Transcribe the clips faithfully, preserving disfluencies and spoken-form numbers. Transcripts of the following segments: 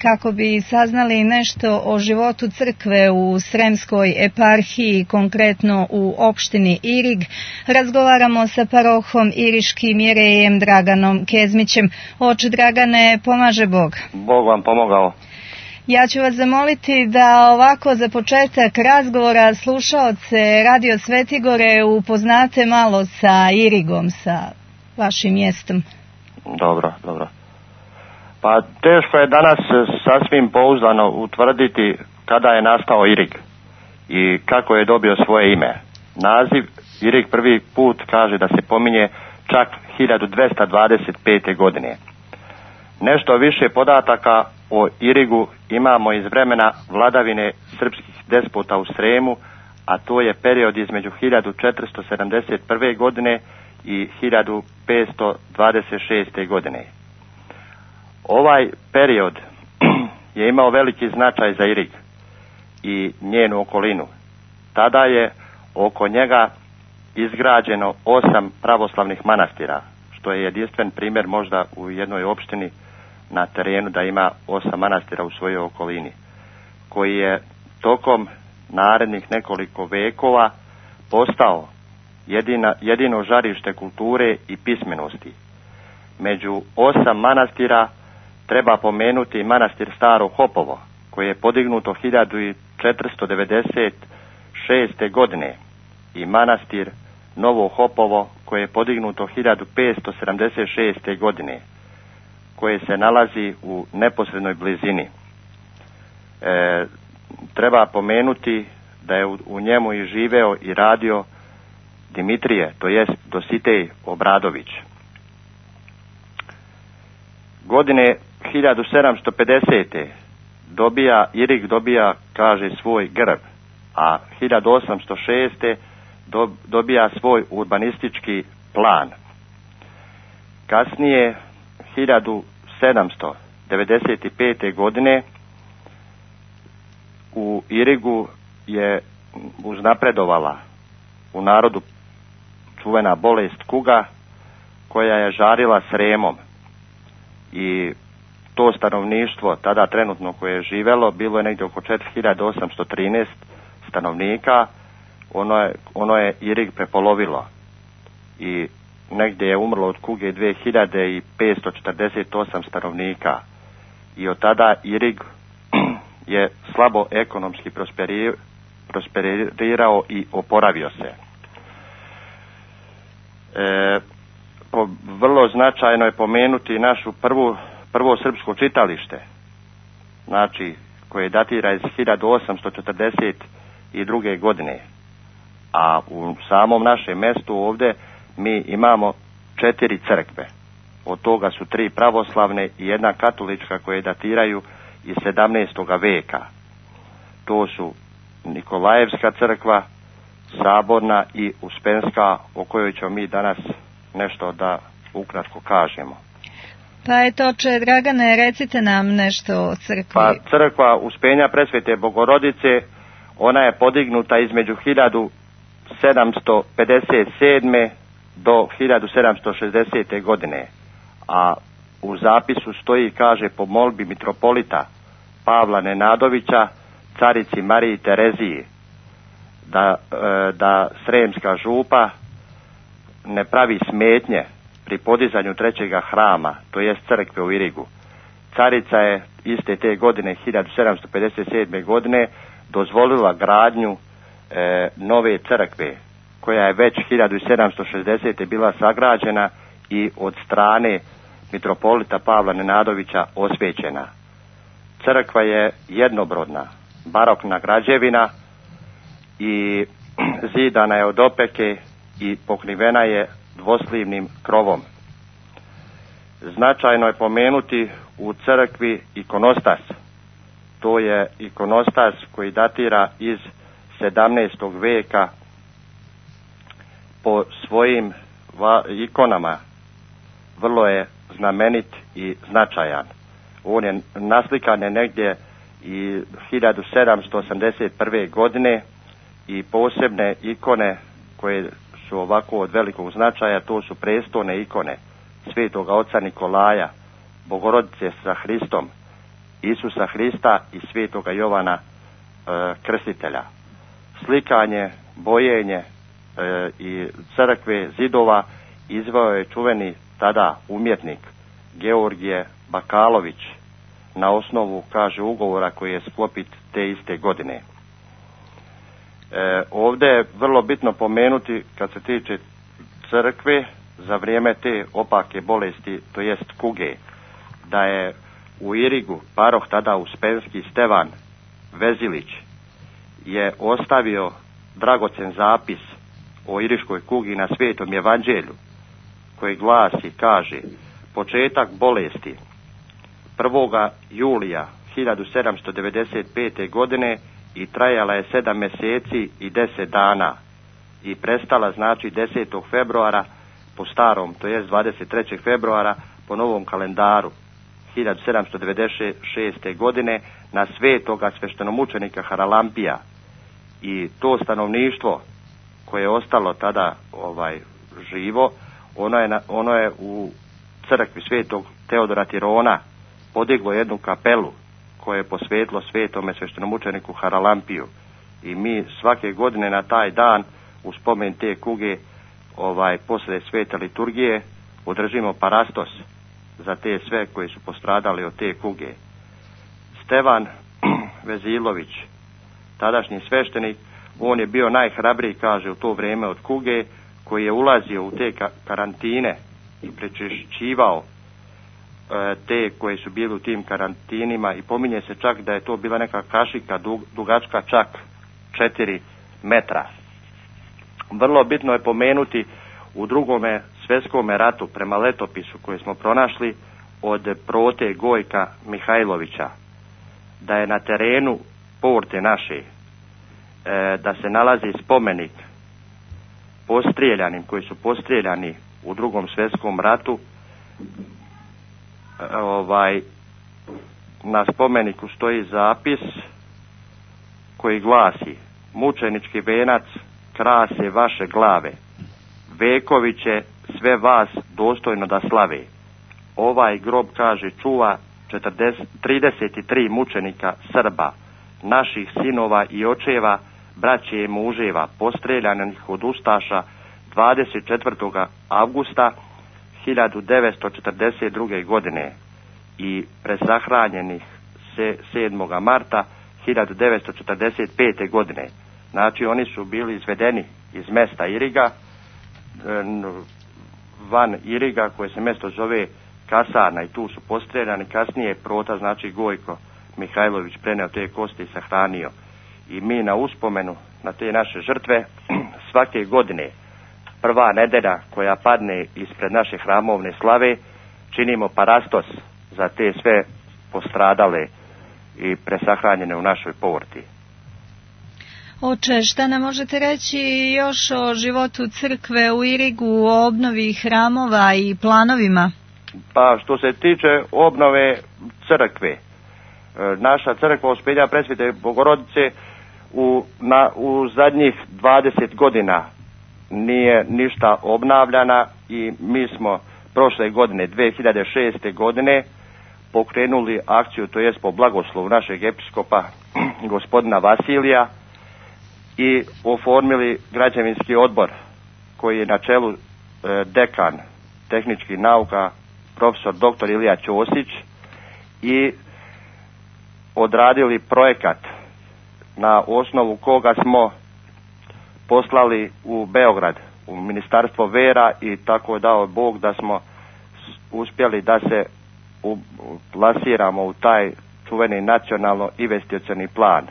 kako bi saznali nešto o životu crkve u Sremskoj eparhiji, konkretno u opštini Irig. Razgovaramo sa parohom Iriškim jerejem Draganom Kezmićem. Oče Dragane, pomaže Bog. Bog vam pomogao. Ja ću vas zamoliti da ovako za početak razgovora slušaoce Radio Svetigore upoznate malo sa Irigom, sa vašim mjestom. Dobro, dobro. Pa teško je danas sasvim pouzdano utvrditi kada je nastao Irig i kako je dobio svoje ime. Naziv Irig prvi put kaže da se pominje čak hiljadu dvesta dvadeset pete. godine. Nešto više podataka o Irigu imamo iz vremena vladavine srpskih despota u Sremu, a to je period između hiljadu četiristo sedamdeset prve. godine i hiljadu petsto dvadeset šeste. godine. Ovaj period je imao veliki značaj za Irig i njenu okolinu. Tada je oko njega izgrađeno osam pravoslavnih manastira, što je jedinstven primjer možda u jednoj opštini na terenu da ima osam manastira u svojoj okolini, koji je tokom narednih nekoliko vekova postao jedina, jedino žarište kulture i pismenosti. Među osam manastira treba pomenuti manastir Staro Hopovo, koje je podignuto hiljadu četiristo devedeset šeste. godine i manastir Novo Hopovo, koje je podignuto hiljadu petsto sedamdeset šeste. godine, koje se nalazi u neposrednoj blizini. E, treba pomenuti da je u, u njemu i živeo i radio Dimitrije, to jest Dositej Obradović. Godine hiljadu sedamsto pedesete. dobija, Irig dobija, kaže, svoj grb, a hiljadu osamsto šeste. Do, dobija svoj urbanistički plan. Kasnije, hiljadu sedamsto devedeset pete. godine, u Irigu je uznapredovala u narodu čuvena bolest kuga, koja je žarila Sremom, i to stanovništvo tada trenutno koje je živelo bilo je negdje oko četiri hiljade osamsto trinaest stanovnika. Ono je, ono je Irig prepolovilo i negdje je umrlo od kuge dve hiljade petsto četrdeset osam stanovnika, i od tada Irig je slabo ekonomski prosperi, prosperirao i oporavio se. E, po, vrlo značajno je pomenuti našu prvu, prvo srpsko čitalište, znači koje datira iz hiljadu osamsto četrdeset druge. godine, a u samom našem mjestu ovdje mi imamo četiri crkve. Od toga su tri pravoslavne i jedna katolička koje datiraju iz sedamnaestog veka. To su Nikolajevska crkva, Saborna i Uspenska, o kojoj ćemo mi danas nešto da ukratko kažemo. Pa eto, oče Dragane, recite nam nešto o crkvi. Pa crkva Uspenja Presvete Bogorodice, ona je podignuta između hiljadu sedamsto pedeset sedme. do hiljadu sedamsto šezdesete. godine, a u zapisu stoji, kaže, po molbi mitropolita Pavla Nenadovića carici Mariji Tereziji da, da Sremska župa ne pravi smetnje pri podizanju trećega hrama, to jest crkve u Irigu. Carica je iste te godine, hiljadu sedamsto pedeset sedme. godine, dozvolila gradnju e, nove crkve, koja je već hiljadu sedamsto šezdesete. bila sagrađena i od strane mitropolita Pavla Nenadovića osvećena. Crkva je jednobrodna, barokna građevina i zidana je od opeke i pokrivena je dvoslivnim krovom. Značajno je pomenuti u crkvi ikonostas. To je ikonostas koji datira iz sedamnaestog veka, po svojim va, ikonama vrlo je znamenit i značajan. On je naslikan je negdje i hiljadu sedamsto osamdeset prve. godine i posebne ikone koje su ovako od velikog značaja, to su prestolne ikone Svetoga oca Nikolaja, Bogorodice sa Hristom Isusa Hrista i svetoga Jovana e, Krstitelja. Slikanje, bojenje e, i crkve, zidova izveo je čuveni tada umjetnik Georgije Bakalović na osnovu, kaže, ugovora koji je sklopit te iste godine. E, ovdje je vrlo bitno pomenuti, kad se tiče crkve, za vrijeme te opake bolesti, to jest kuge, da je u Irigu paroh tada Uspenski Stevan Vezilić je ostavio dragocen zapis o iriškoj kugi na Svetom evanđelju, koji glasi, kaže, početak bolesti prvoga julija hiljadu sedamsto devedeset pete. godine i trajala je sedam mjeseci i deset dana i prestala, znači, desetog februara po starom, to jest dvadeset trećeg februara po novom kalendaru hiljadu sedamsto devedeset šeste. godine na svetoga sveštenomučenika Haralampija. I to stanovništvo koje je ostalo tada ovaj živo, ono je, na, ono je u crkvi svetog Teodora Tirona podiglo jednu kapelu koje je posvetilo svetome sveštenomučeniku Haralampiju. I mi svake godine na taj dan u spomen te kuge, ovaj, posle svete liturgije, održimo parastos za te sve koji su postradali od te kuge. Stevan Vezilović, tadašnji sveštenik, on je bio najhrabriji, kaže, u to vrijeme od kuge, koji je ulazio u te karantine i prečišćivao e, te koji su bili u tim karantinima, i pominje se čak da je to bila neka kašika dug, dugačka čak četiri metra. Vrlo bitno je pomenuti u drugome svjetskome ratu, prema letopisu koji smo pronašli od Prote Gojka Mihajlovića, da je na terenu porte naše, e, da se nalazi spomenik postrijeljanim, koji su postrijeljani u drugom svjetskom ratu. E, ovaj, na spomeniku stoji zapis koji glasi: mučenički venac krase vaše glave, vekovi će sve vas dostojno da slave. Ovaj grob, kaže, čuva trideset tri mučenika Srba, naših sinova i očeva, braće i muževa, postreljanih od ustaša dvadeset četvrtog avgusta hiljadu devetsto četrdeset druge. godine i presahranjenih sedmog marta hiljadu devetsto četrdeset pete. godine. Znači, oni su bili izvedeni iz mesta Iriga, van Iriga, koje se mjesto zove Kasarna, i tu su postreljani. Kasnije je Prota, znači Gojko Mihajlović, preneo te kosti i sahranio. I mi na uspomenu na te naše žrtve svake godine, prva nedelja koja padne ispred naše hramovne slave, činimo parastos za te sve postradale i presahranjene u našoj porti. Oče, šta nam možete reći još o životu crkve u Irigu, o obnovi hramova i planovima? Pa što se tiče obnove crkve, naša crkva Uspelja Presvete Bogorodice u, na, u zadnjih dvadeset godina nije ništa obnavljana i mi smo prošle godine, dvije hiljade šeste. godine, pokrenuli akciju, to jest po blagoslovu našeg episkopa gospodina Vasilija, i oformili građevinski odbor koji je na čelu e, dekan tehničkih nauka profesor doktor Ilija Ćosić, i odradili projekat na osnovu koga smo poslali u Beograd u Ministarstvo vera, i tako je dao Bog da smo uspjeli da se u, plasiramo u taj čuveni nacionalno investicioni plan.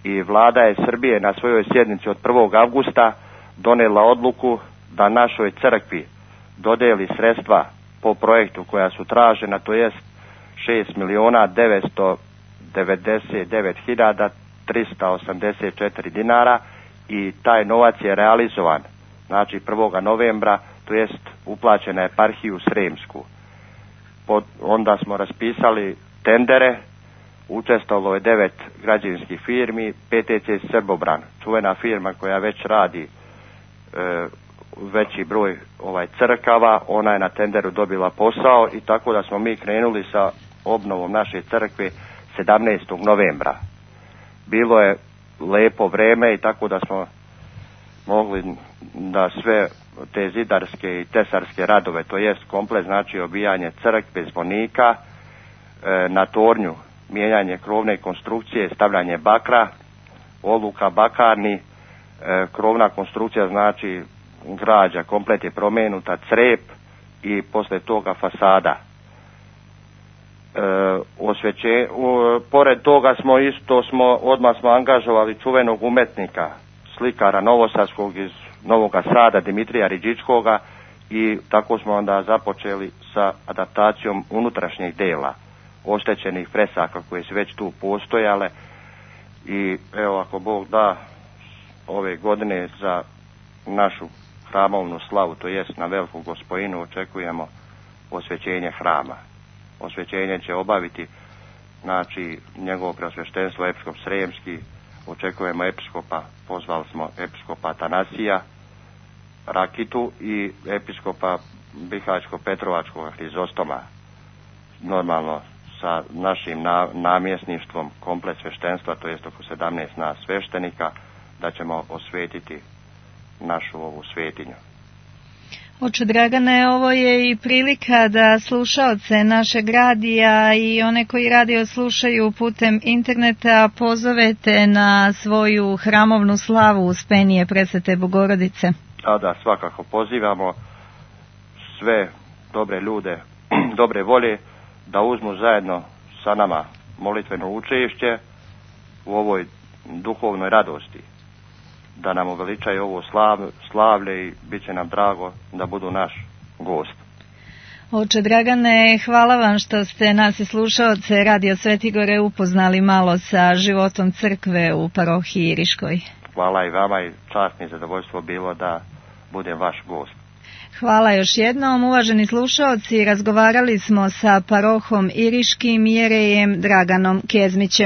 I vlada je Srbije na svojoj sjednici od prvog avgusta donijela odluku da našoj crkvi dodeli sredstva po projektu koja su tražena, to jest šest miliona devetsto devedeset devet hiljada trista osamdeset četiri dinara, i taj novac je realizovan, znači prvog novembra, to jest uplaćena je eparhiju Sremsku. Pod, onda smo raspisali tendere, učestvovalo je devet građevinskih firmi, P T C Srbobran, čuvena firma koja već radi e, veći broj ovaj crkava, ona je na tenderu dobila posao, i tako da smo mi krenuli sa obnovom naše crkve sedamnaestog novembra. Bilo je lepo vreme i tako da smo mogli da sve te zidarske i tesarske radove, to jest komplet, znači obijanje crkve, zvonika, e, na tornju mijenjanje krovne konstrukcije, stavljanje bakra, oluka bakarni, e, krovna konstrukcija, znači građa komplet je promenuta, crep i posle toga fasada. E, osveće, u, pored toga smo isto smo odmah smo angažovali čuvenog umetnika, slikara novosadskog iz Novoga Sada, Dimitrija Riđičkoga, i tako smo onda započeli sa adaptacijom unutrašnjeg dela oštećenih fresaka koje su već tu postojale. I evo, ako Bog da, ove godine za našu hramovnu slavu, to jest na Veliku Gospojinu, očekujemo osvećenje hrama. Osvećenje će obaviti, znači, njegovo preosveštenstvo episkop Sremski, očekujemo episkopa, pozvali smo episkopa Atanasija Rakitu i episkopa Bihaćko-Petrovačkog Hrizostoma, normalno sa našim na, namjesništvom komplet sveštenstva, to jest oko sedamnaest nas sveštenika, da ćemo osvetiti našu ovu svetinju. Oče Dragane, ovo je i prilika da slušaoce našeg radija i one koji radio slušaju putem interneta pozovete na svoju hramovnu slavu Uspenije Presvete Bogorodice. A da, svakako pozivamo sve dobre ljude, dobre volje, da uzmu zajedno sa nama molitveno učešće u ovoj duhovnoj radosti, da nam uveličaju ovo slav, slavlje i bit će nam drago da budu naš gost. Oče Dragane, hvala vam što ste nas i slušaoce Radio Svetigore upoznali malo sa životom crkve u parohiji Iriškoj. Hvala i vama i čast mi i zadovoljstvo bilo da budem vaš gost. Hvala još jednom, uvaženi slušaoci, razgovarali smo sa parohom Iriškim jerejem Draganom Kezmićem.